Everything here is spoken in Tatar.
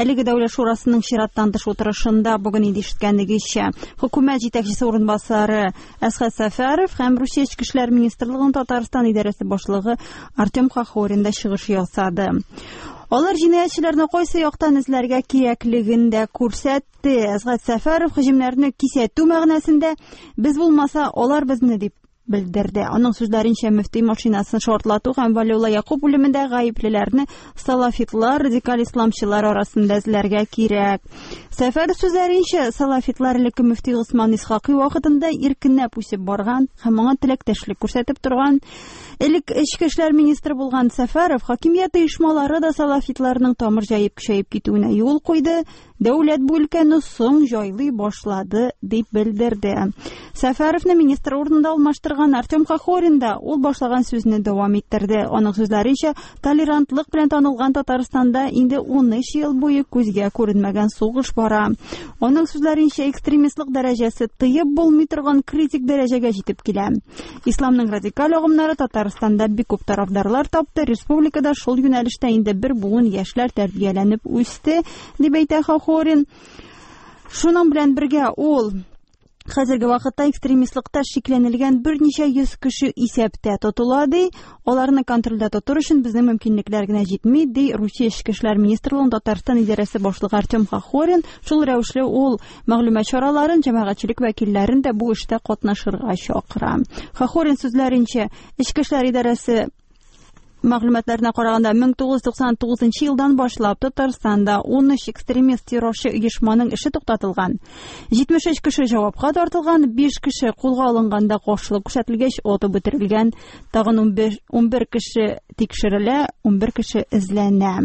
Әлеге Дәүләт шурасының чираттан тыш утырышында бүген инде ишеткәнегезчә, хөкүмәт җитәкчесе урынбасары Әсхәт Сәфәров һәм Русия Эчке эшләр министрлыгының Татарстан идарәсе башлыгы Артем Хохорин да чыгыш ясады. Алар җинаятьчеләрне кайсы яктан эзләргә кирәклеген дә күрсәтте. Әсгать Сәфәров һөҗүмнәрне кисәтү мәгънәсендә без булмаса, алар безне дип белдерде. Аның сүзләренчә, мөфти машинасын шартлату һәм Валиулла Якуб үлемендә гаеплеләрне салафитлар, радикаль исламчылар арасында эзләргә кирәк. Сәфәров сүзләренчә, салафитлар элекке мөфти Госман Исхакый вакытында иркенләп үсеп барган һәм аңа теләктәшлек күрсәтеп торган. Элек эчке эшләр министры булган Сәфәров хакимият оешмалары да салафитларның тамыр җәеп көчәеп китүенә юл куйды. Дәүләт бу өлкәне соң җайлый башлады, дип белдерде. Сәфәровны министр урынында алмаштырган Артем Хохорин да ул башлаган сүзне дәвам иттерде. Аның сүзләренчә, толерантлык белән танылган Татарстанда инде 13 ел буе күзгә күренмәгән сугыш бара. Аның сүзләренчә, экстремистлык дәрәҗәсе тыеп булмый торган критик дәрәҗәгә җитеп килә. Исламның радикаль агымнары Татарстанда бик күп тарафдарлар тапты, республикада шул юнәлештә инде бер буын яшьләр тәрбияләнеп үсте, дип әйтә Хохорин. Шуның белән бергә ул хәзерге вакытта экстремистлыкта шикләнелгән берничә йөз кеше исәптә тотыла, ди. Аларны контрольдә тотыр өчен безнең мөмкинлекләр генә җитми, ди Русия Эчке эшләр министрлыгының Татарстан идарәсе башлыгы Артем Хохорин. Шул рәвешле ул мәгълүмат чараларын, җәмәгатьчелек вәкилләрен дә бу эштә катнашырга чакыра. Хохорин сүзләренчә, Эчке эшләр идарәсе мәгълүматларына караганда, 1999 елдан башлап Татарстанда 13 экстремист террорчы оешманың эше туктатылган. 73 кеше җавапка тартылган, 5 кеше кулга алынганда каршылык күрсәтелгәч атып үтерелгән, тагын 11 кеше тикшерелә, 11 кеше эзләнә.